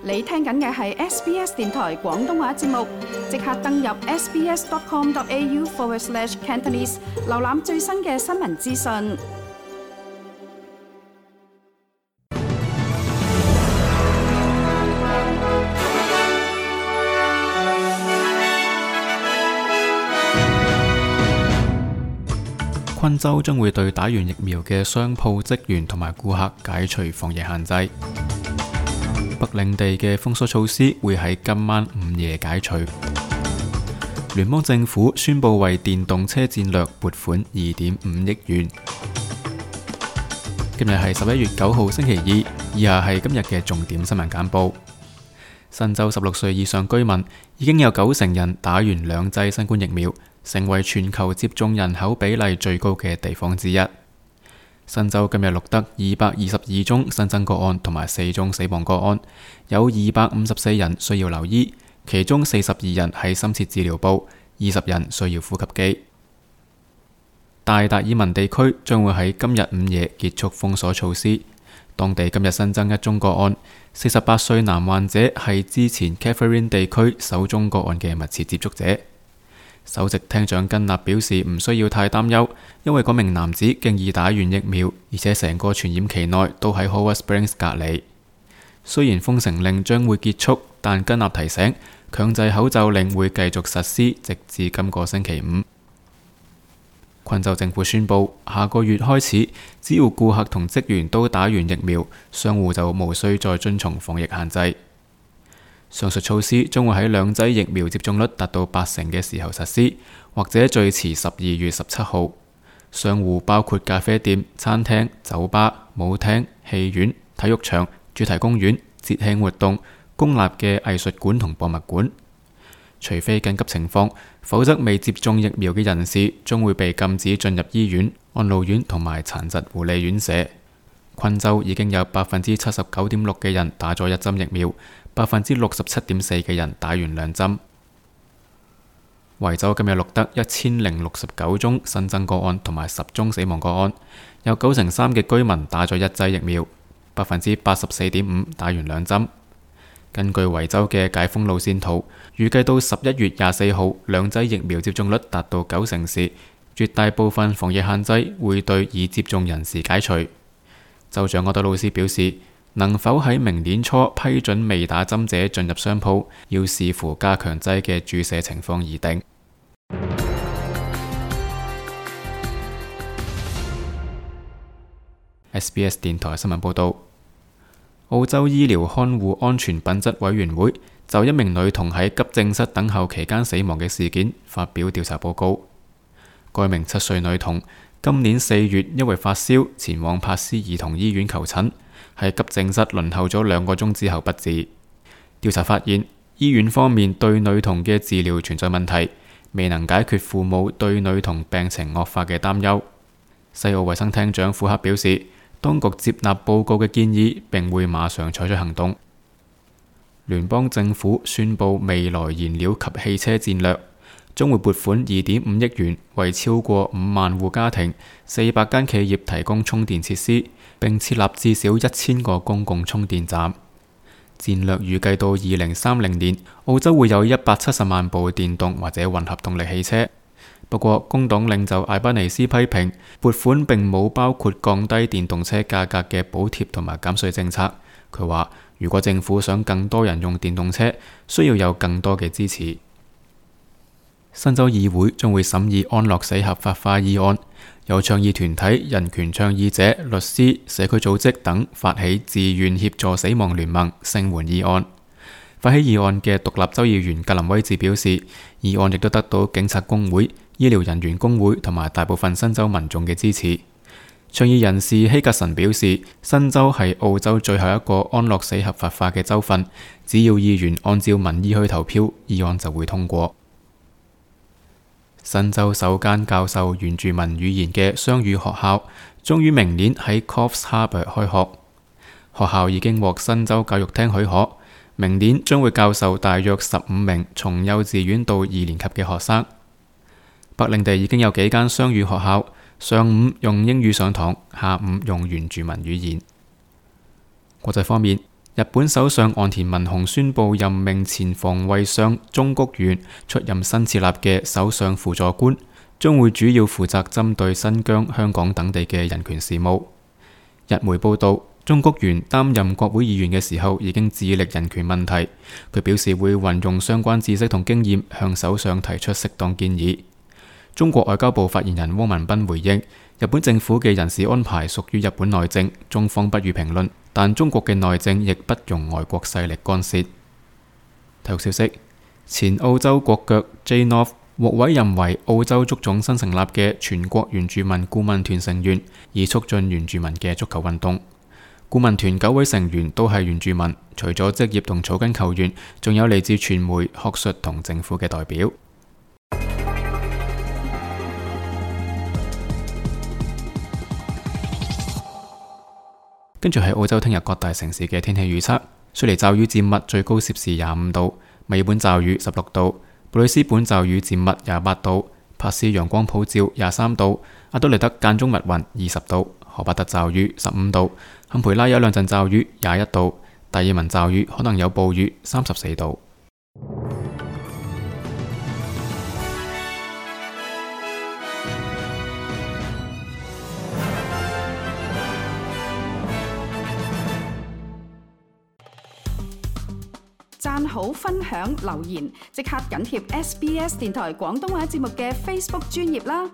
你聽緊嘅係 SBS 電台廣東話節目，即刻登入 sbs.com.au/Cantonese 瀏覽最新嘅新聞資訊。昆州將會對打完疫苗嘅商鋪職員同埋顧客解除防疫限制。北領地嘅封鎖措施會喺今晚午夜解除。聯邦政府宣布為電動車戰略撥款2.5億元。今日係11月9號星期二，以下係今日嘅重點新聞簡報。新州16歲以上居民已經有90%人打完2劑新冠疫苗，成為全球接種人口比例最高嘅地方之一。新州今日錄得222宗新增個案同埋4宗死亡個案，有254人需要留醫，其中42人喺深切治療部，20人需要呼吸機。大達爾文地區將會喺今日午夜結束封鎖措施。當地今日新增1宗個案，48歲男患者係之前 Catherine 地區首宗個案嘅密切接觸者。首席廳長根納表示唔需要太擔憂，因為嗰名男子經已打完疫苗，而且成個傳染期內都喺 Howard Springs 隔離。雖然封城令將會結束，但根納提醒強制口罩令會繼續實施，直至今個星期五。昆州政府宣布，下個月開始，只要顧客同職員都打完疫苗，商戶就無需再遵從防疫限制。上述措施將會喺2劑疫苗接種率達到80%嘅時候實施，或者最遲12月17號。商戶包括咖啡店、餐廳、酒吧、舞廳、戲院、體育場、主題公園、節慶活動、公立嘅藝術館同博物館。除非緊急情況，否則未接種疫苗嘅人士將會被禁止進入醫院、安老院同埋殘疾護理院舍。昆州已經有 79.6% 嘅人打咗1針疫苗，67.4% 嘅人打完2針。維州今日錄得1069宗新增個案同埋10宗死亡個案，有93%嘅居民打咗1劑疫苗，84.5% 打完2針。根據維州嘅解封路線圖，預計到11月24號2劑疫苗接種率達到90%時，絕大部分防疫限制會對已接種人士解除。州長柯德魯斯表示，能否喺明年初批准未打針者進入商鋪，要視乎加強劑嘅注射情況而定。SBS 電台新聞報道，澳洲醫療看護安全品質委員會就一名女童喺急症室等候期間死亡嘅事件發表調查報告。該名7歲女童今年4月因為發燒前往柏斯兒童醫院求診，喺急症室輪候咗2個鐘之後不治。調查發現，醫院方面對女童嘅治療存在問題，未能解決父母對女童病情惡化嘅擔憂。西澳衛生廳長庫克表示，當局接納報告嘅建議，並會馬上採取行動。聯邦政府宣布未來燃料及汽車戰略，將會撥款2.5億元，為超過5萬戶家庭、400間企業提供充電設施，並設立至少1000個公共充電站。戰略預計到2030年，澳洲會有170萬部電動或者混合動力汽車。不過，工黨領袖艾巴尼斯批評撥款並冇包括降低電動車價格嘅補貼同埋減稅政策。佢話，如果政府想更多人用電動車，需要有更多嘅支持。新州議會將會審議安樂死合法化議案，有倡議團體、人權倡議者、律師、社區組織等發起自願協助死亡聯盟聲援議案。發起議案嘅獨立州議員格林威治表示，議案亦都得到警察工會、醫療人員工會同埋大部分新州民眾嘅支持。倡議人士希格臣表示，新州係澳洲最後一個安樂死合法化嘅州份，只要議員按照民意去投票，議案就會通過。新州首間教授原住民語言嘅雙語學校終於明年喺 Coffs Harbour 開學。學校已經獲新州教育廳許可，明年將會教授大約15名從幼稚園到2年級嘅學生。北領地已經有幾間雙語學校，上午用英語上堂，下午用原住民語言。國際方面，日本首相岸田文雄宣布任命前防衛相中谷元出任新設立嘅首相輔助官，將會主要負責針對新疆、香港等地嘅人權事務。日媒報道，中谷元擔任國會議員嘅時候已經致力人權問題，佢表示會運用相關知識同經驗向首相提出適當建議。中國外交部發言人汪文斌回應，日本政府嘅人事安排屬於日本內政，中方不予評論，但中國嘅內政亦不容外國勢力干涉。體育消息，前澳洲國腳 Jay North 獲委任為澳洲足總新成立嘅全國原住民顧問團成員，以促進原住民嘅足球運動。顧問團9位成員都係原住民，除咗職業同草根球員，仲有嚟自傳媒、學術同政府嘅代表。跟住係澳洲聽日各大城市嘅天氣預測：雪梨驟雨漸密，最高攝氏25度；墨爾本驟雨16度；布里斯本驟雨漸密28度；珀斯陽光普照23度；阿德萊德間中密雲20度；荷巴特驟雨15度；坎培拉有兩陣驟雨21度；達爾文驟雨可能有暴雨34度。讚好、分享、留言，即刻緊貼SBS 電台廣東話節目嘅 Facebook 專頁啦！